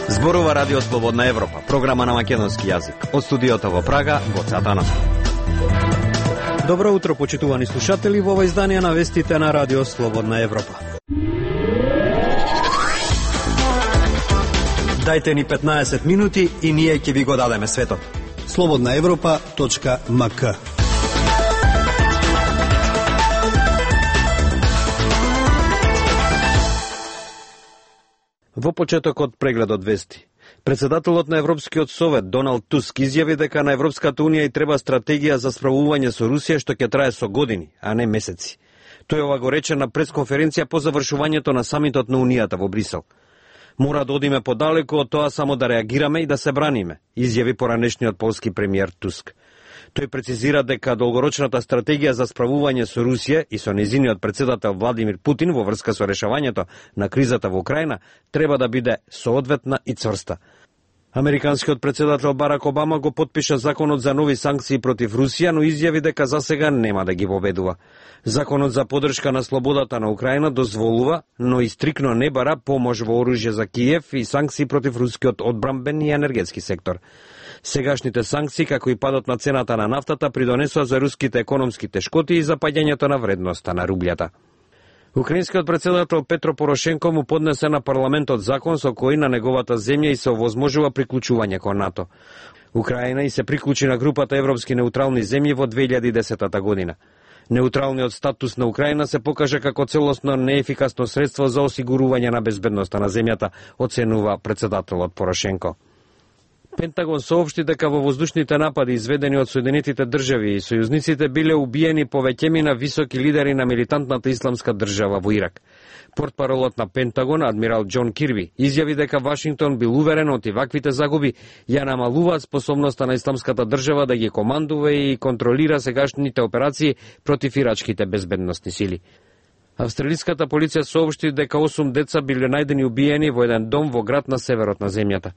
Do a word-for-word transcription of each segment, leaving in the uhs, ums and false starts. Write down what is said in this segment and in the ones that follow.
Зборува Радио Слободна Европа, програма на македонски јазик. Од студиото во Прага, Гоце Атанасов. Добро утро, почитувани слушатели, во ова издание на вестите на Радио Слободна Европа. Дајте ни петнаесет минути и ние ќе ви го дадеме светот. слободна европа точка ем ка. Во почетокот прегледот вести. Председателот на Европскиот совет Доналд Туск изјави дека на Европската унија и треба стратегија за справување со Русија што ќе трае со години, а не месеци. Тој ова го рече на пресконференција по завршувањето на самитот на Унијата во Брисел. Мора да одиме подалеку од тоа само да реагираме и да се браниме, изјави поранешниот полски премиер Туск. Тој прецизира дека долгорочната стратегија за справување со Русија и со нејзиниот председател Владимир Путин во врска со решавањето на кризата во Украина треба да биде соодветна и цврста. Американскиот председател Барак Обама го потпиша законот за нови санкции против Русија, но изјави дека засега нема да ги воведува. Законот за поддршка на слободата на Украина дозволува, но и стрикно не бара помош во оружје за Киев и санкции против рускиот одбранбен и енергетски сектор. Сегашните санкции, како и падот на цената на нафтата, придонесоа за руските економски тешкоти и запаѓањето на вредноста на рублјата. Украинскиот председател Петро Порошенко му поднесе на парламентот закон со кој на неговата земја и се овозможува приклучување кон НАТО. Украина и се приклучи на групата Европски неутрални земји во две илјади и десета година. Неутралниот статус на Украина се покажа како целосно неефикасно средство за осигурување на безбедноста на земјата, оценува председателот Порошенко. Пентагон соопшти дека во воздушните напади изведени од Соединетите држави и сојузниците биле убиени повеќемина високи лидери на милитантната исламска држава во Ирак. Портпаролот на Пентагон, адмирал Џон Кирби, изјави дека Вашингтон бил уверен од ваквите загуби ја намалуваат способноста на исламската држава да ги командува и контролира сегашните операции против ирачките безбедносни сили. Австралиската полиција соопшти дека осум деца биле најдени убиени во еден дом во град на северот на земјата.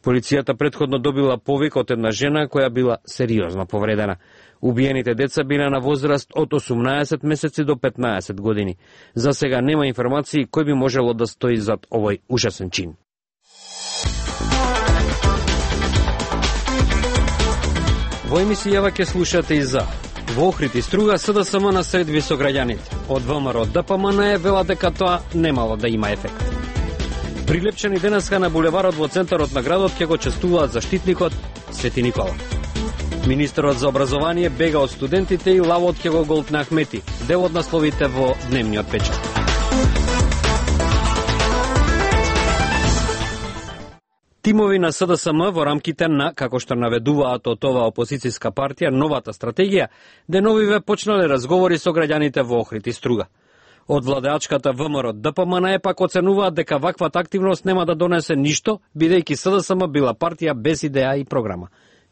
Полицијата претходно добила повик од една жена која била сериозно повредена. Убиените деца биле на возраст од осумнаесет месеци до петнаесет години. За сега нема информации кој би можело да стои зад овој ужасен чин. Во емисијава ќе слушате и за во Охрид и Струга СДСМ на средби со граѓаните. Од ВМРО ДПМН е вела дека тоа немало да има ефект. Прилепчени денеска на булеварот во центарот на градот ќе го честуваат заштитникот Свети Никола. Министерот за образование бега од студентите и лавот ќе го голтне Ахмети. Дел од насловите во дневниот печат. Тимови на СДСМ во рамките на, како што наведуваат од ова опозицијска партија, новата стратегија, деновиве почнале разговори со граѓаните во Охрид и Струга. Од владеачката ВМРО ДПМН е пак оценуваат дека ваквата активност нема да донесе ништо, бидејќи СДСМ била партија без идеја и програма.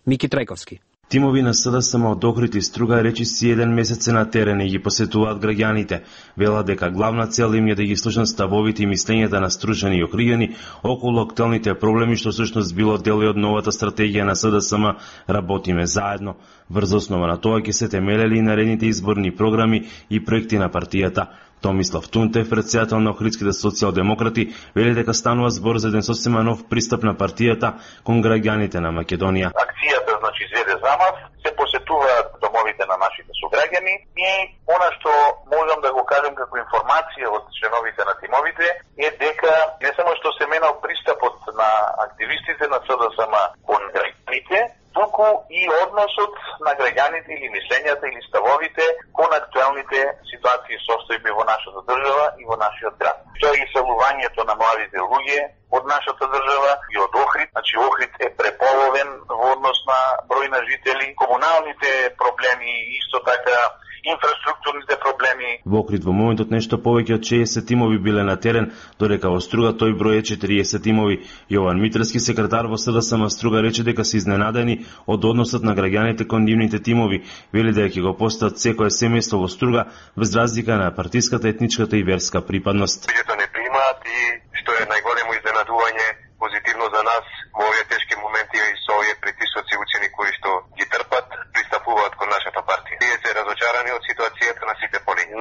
Мики Трајковски. Тимови на СДСМ од Охрид и Струга речиси еден месец на терен и ги посетуваат граѓаните. Вела дека главна цел им е да ги слушнат ставовите и мислењата на стручени и охријани околу актуелните проблеми што всушност било дел од новата стратегија на СДСМ Работиме заедно. Врз основа на тоа ќе се темелели и наредните изборни програми и проекти на партијата. Томислав Тунтев, председател на Охридските социјалдемократи, вели дека станува збор за еден сосема нов пристап на партијата кон граѓаните на Македонија. Акцијата значи изведе замав, се посетуваат домовите на нашите сограѓани и она што можам да го кажам како информација од членовите на тимовите е дека не само што се менал пристапот на активистите на СДСМ кон граѓаните, туку и односот на граѓаните или мислењата или ставовите кон актуелните ситуации и состојби во нашата држава и во нашиот град. Тоа е иселувањето на младите луѓе од нашата држава и од Охрид. Значи Охрид е преполовен во однос на број на жители, комуналните проблеми и исто така инфраструктурните проблеми. Во Охрид во моментот нешто повеќе од шеесет тимови биле на терен, додека во Струга тој број е четириесет тимови. Јован Митрски, секретар во СДСМ Струга, рече дека се изненадени од односот на граѓаните кон нивните тимови. Вели дека ќе го постат секое семејство во Струга без разлика на партиската, етничката и верска припадност. Луѓето не примаат и што е најголемо изненадување позитивно за нас во овие тешки моменти и со овие притисоци учени кои што ги трпат, пристапуваат кон нашата партија. Тие се разочарани од ситуацијата на сите полиња.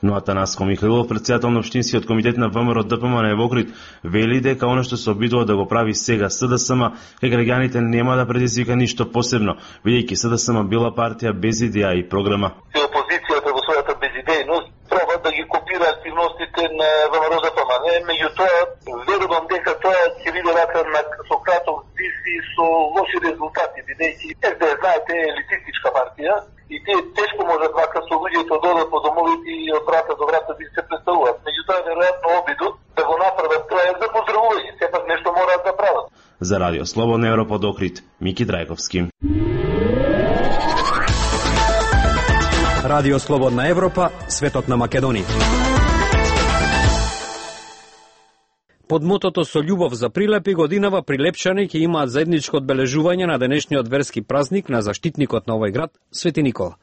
Но Атанаско Михаилов, претседател на општинскиот комитет на ВМРО Д П М на Евокрит, вели дека она што се обидува да го прави сега С Д С М кај граѓаните нема да предизвика ништо посебно, бидејќи С Д С М била партија без идеја и програма. Опозицијата во својата безидејност проба да ги копира активностите на ВМРО Д П М. Меѓутоа, верувам дека тоа ќе биде рака на Сократов диси со лоши резултати, бидејќи С Д С знаете е елитистичка партија и тие тешко можат вака со луѓето да одат по домовите и од врата до врата да се представуваат. Меѓутоа, веројатно обидот да го направат тоа е за поздравување, сепак нешто мораат да прават. За Радио Слободна Европа од Охрид, Мики Драјковски. Радио Слободна Европа, светот на Македонија. Под мотото со љубов за прилепи годинава прилепчани ќе имаат заедничко одбележување на денешниот верски празник на заштитникот на овој град, Свети Никола.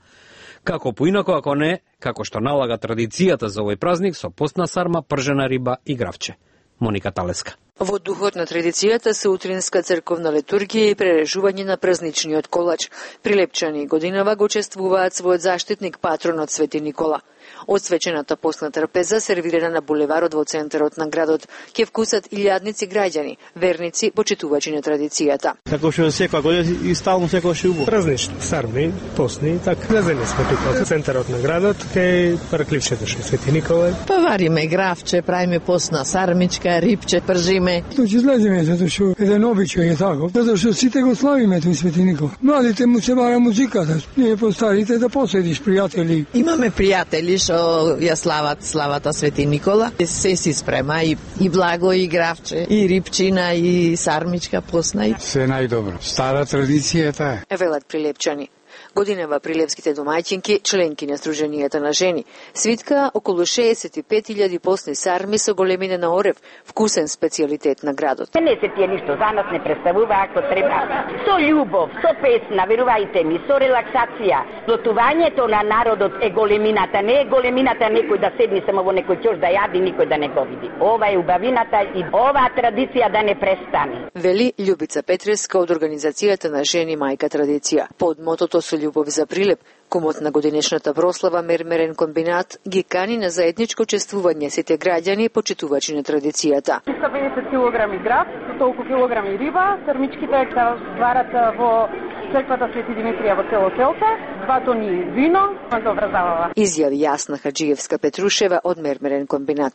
Како поинако, ако не, како што налага традицијата за овој празник со постна сарма, пржена риба и гравче. Моника Талеска. Во духот на традицијата се утринска црковна литургија и прережување на празничниот колач. Прилепчани годинава го чествуваат својот заштитник, патронот Свети Никола. Освечената постна трпеза, сервирана на булеварот во центарот на градот, ќе вкусат илјадници граѓани, верници, почитувачи на традицијата. Како што секоја година и стално секогаш убаво. Празнични, сарми, постни, така влезени сме тука во центарот на градот, кај паркливчето што Свети Никола. Па вариме гравче, правиме постна сармичка, рипче, пржиме. Тоа ќе излеземе затоа што еден обичај е тако, затоа што сите го славиме тој Свети Никола. Младите му се бара музиката, ние постарите да поседиш пријатели. Имаме пријатели што ја слават славата Свети Никола. Се си спрема и, и благо, и гравче, и рипчина, и сармичка постна. Се најдобро. Стара традицијата е. Велат прилепчани. Годинава прилепските домаќинки, членки на Сдруженијата на жени, свитка околу шеесет и пет илјади постни сарми со големина на орев, вкусен специјалитет на градот. Не се тие ништо за нас не представува ако треба. Со љубов, со песна, верувајте ми, со релаксација. Сплотувањето на народот е големината, не е големината некој да седни само во некој ќош да јади, никој да не го види. Ова е убавината и оваа традиција да не престане. Вели Љубица Петреска од Организацијата на жени Мајка Традиција. Под мотото со љубов за прилеп, кумот на годинешната прослава Мермерен комбинат ги кани на заедничко чествување сите граѓани почитувачи на традицијата. триста и педесет килограми град, толку килограми риба, сармичките се варат во црквата Свети Димитрија во село Селце, два тони вино, добра забава. Изјави Јасна Хаджиевска Петрушева од Мермерен комбинат.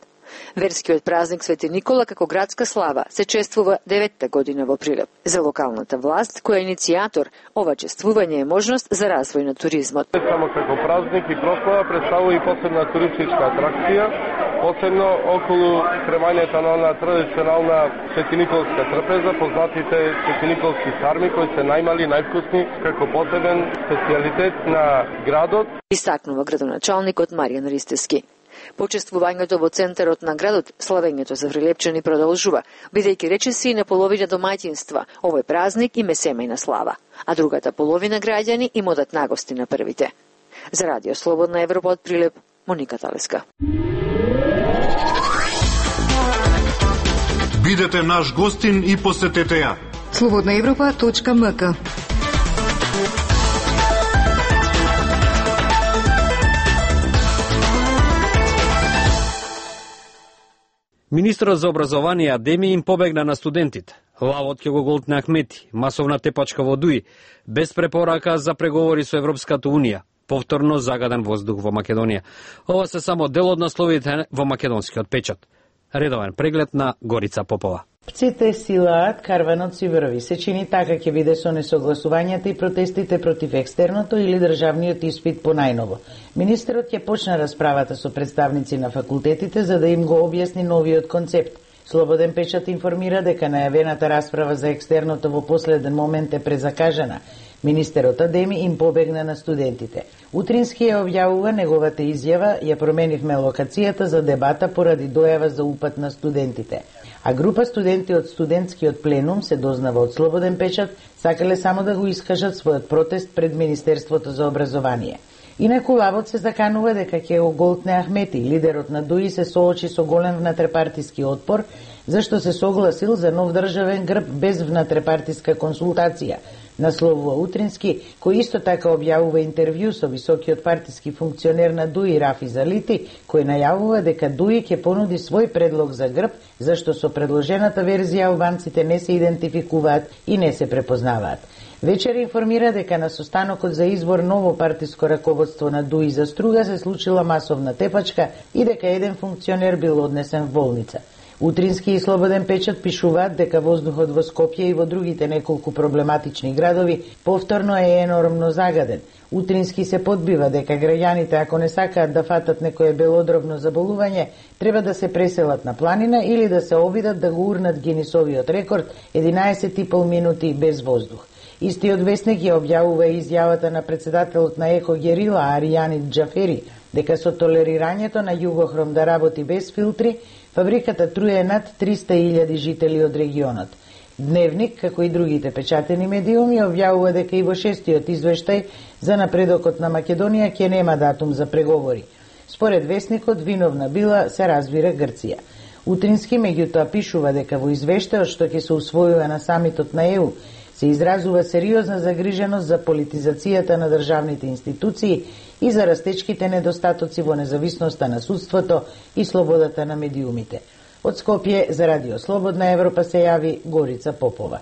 Верскиот празник Свети Никола како градска слава се чествува деветта година во Прилеп. За локалната власт, која е иницијатор, ова чествување е можност за развој на туризмот. Само како празник и прослава представува и посебна туристичка атракција, посебно околу премањето на она традиционална светиниколска трпеза, познатите светиниколски сарми кои се најмали, највкусни, како посебен специјалитет на градот. Истакнува градоначалникот Маријан Ристески. Почествувањето во центарот на градот, славењето за прилепчани продолжува, бидејќи речиси на половина домаќинства, овој празник им е семејна слава, а другата половина граѓани им одат нагости на првите. За Радио Слободна Европа од Прилеп, Моника Талеска. Бидете наш гостин и посетете ја. слободна европа точка м к. Министерот за образование Адеми им побегна на студентите. Лавот ќе го голтне Ахмети, масовна тепачка во Дуи, без препорака за преговори со Европската Унија, повторно загаден воздух во Македонија. Ова се само дел од насловите во македонскиот печат. Редовен преглед на Горица Попова. Пците силаат, карванот си врви. Се чини така ќе биде со несогласувањата и протестите против екстерното или државниот испит по најново. Министерот ќе почне расправата со представници на факултетите за да им го објасни новиот концепт. Слободен печат информира дека најавената расправа за екстерното во последен момент е презакажана. Министерот Адеми им побегна на студентите. Утрински ја објавува неговата изјава, ја променивме локацијата за дебата поради дојава за упат на студентите. А група студенти од студентскиот пленум, се дознава од Слободен печат, сакале само да го искажат својот протест пред Министерството за образование. Инаку лавот се заканува дека ќе го голтне Ахмети, лидерот на Дуи се соочи со голем внатрепартиски отпор, зашто се согласил за нов државен грб без внатрепартиска консултација, насловува Утрински, кој исто така објавува интервју со високиот партиски функционер на ДУИ Рафи Залити, кој најавува дека ДУИ ќе понуди свој предлог за грб, зашто со предложената верзија албанците не се идентификуваат и не се препознаваат. Вечер информира дека на состанокот за избор ново партиско раководство на ДУИ за Струга се случила масовна тепачка и дека еден функционер бил однесен в болница. Утрински и Слободен печат пишуваат дека воздухот во Скопје и во другите неколку проблематични градови повторно е енормно загаден. Утрински се подбива дека граѓаните, ако не сакаат да фатат некое белодробно заболување, треба да се преселат на планина или да се обидат да го урнат Гинисовиот рекорд единаесет и пол минути без воздух. Истиот весник ја објавува изјавата на председателот на Еко Герила Аријанит Џафери дека со толерирањето на Југохром да работи без филтри, фабриката труе над триста илјади жители од регионот. Дневник, како и другите печатени медиуми, објавува дека и во шестиот извештај за напредокот на Македонија ќе нема датум за преговори. Според весникот, виновна била се разбира Грција. Утрински меѓутоа пишува дека во извештајот што ќе се усвојува на самитот на Е У се изразува сериозна загриженост за политизацијата на државните институции и за растечките недостатоци во независноста на судството и слободата на медиумите. Од Скопје за Радио Слободна Европа се јави Горица Попова.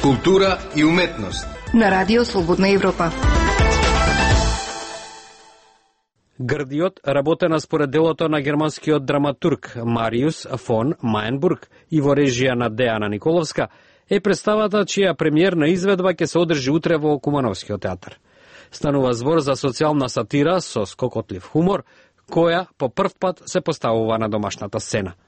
Култура и уметност на Радио Слободна Европа. Грдиот работена според делото на германскиот драматург Мариус фон Маенбург и во режија на Дејана Николовска е представата чија премиерна изведба ќе се одржи утре во Кумановскиот театар. Станува збор за социјална сатира со скокотлив хумор, која по прв пат се поставува на домашната сцена.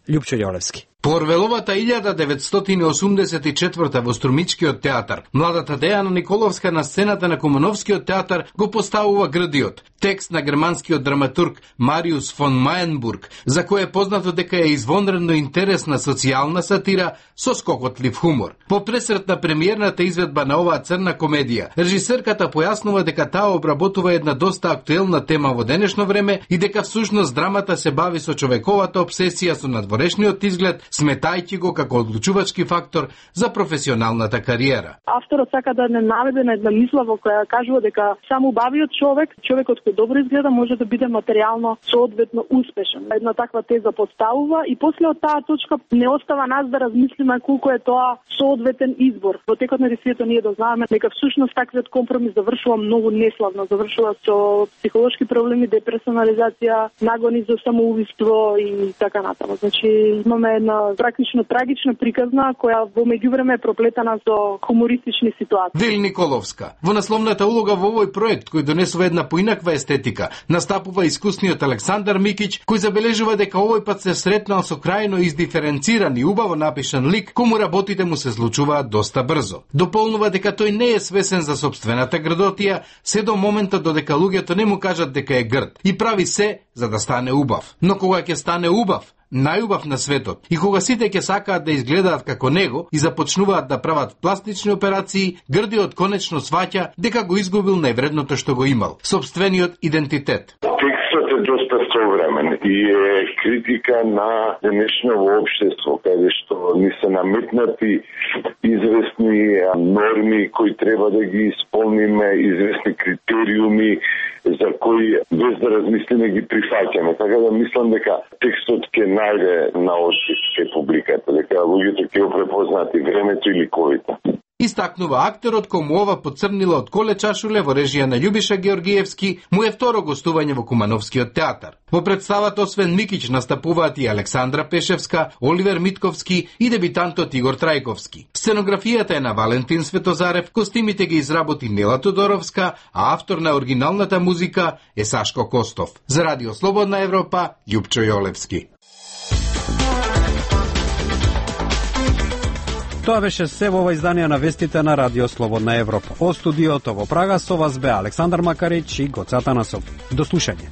Љупчо Јолевски. По Орвеловата илјада деветстотини осумдесет и четврта во Струмичкиот театар, младата Дејана Николовска на сцената на Кумановскиот театар го поставува Грдиот, текст на германскиот драматург Мариус фон Маенбург, за кој е познато дека е извонредно интересна социјална сатира со скокотлив хумор. По пресрет на премиерната изведба на оваа црна комедија, режисерката појаснува дека таа обработува една доста актуелна тема во денешно време и дека всушност драмата се бави со човековата обсесија со надворешниот изглед, сметајќи го како одлучувачки фактор за професионалната кариера. Авторот сака да не наведе на една мисла во која кажува дека само убавиот човек, човекот кој добро изгледа, може да биде материјално соодветно успешен. Една таква теза поставува и после од таа точка не остава нас да размислиме колку е тоа соодветен избор. Во текот на десието ние да знаеме дека всушност таквиот компромис завршува многу неславно, завршува со психолошки проблеми, деперсонализација, нагони за самоубиство и така натаму. Значи имаме една практично трагична приказна која во меѓувреме е проплетена со хумористични ситуации. Дели Николовска. Во насловната улога во овој проект кој донесува една поинаква естетика, настапува искусниот Александар Микиќ, кој забележува дека овој пат се сретнал со крајно издиференциран и убаво напишан лик, кому работите му се случуваат доста брзо. Дополнува дека тој не е свесен за собствената грдотија, се до моментот додека луѓето не му кажат дека е грд и прави се за да стане убав. Но кога ќе стане убав, најубав на светот, и кога сите ќе сакаат да изгледаат како него и започнуваат да прават пластични операции, Грдиот конечно сваќа дека го изгубил највредното што го имал – собствениот идентитет. Текстот е доста современ и е критика на денешното општество, каде што ни се наметнати известни норми кои треба да ги исполниме, известни критериуми за кои без да размислиме ги прифаќаме. Така да мислам дека текстот ќе најде на отклик кај публиката, дека луѓето ќе го препознаат и времето и ликовите. Истакнува актерот кому ова поцрнила од Коле Чашуле во режија на Љубиша Георгиевски, му е второ гостување во Кумановскиот театар. Во представата освен Микиќ настапуваат и Александра Пешевска, Оливер Митковски и дебитантот Игор Трајковски. Сценографијата е на Валентин Светозарев, костимите ги изработи Нела Тодоровска, а автор на оригиналната музика е Сашко Костов. За Радио Слободна Европа, Љупчо Јолевски. Тоа беше се во ова издание на вестите на Радио Слободна Европа. Од студиото во Прага со вас бе Александар Макарич и Гоце Атанасов. До слушање.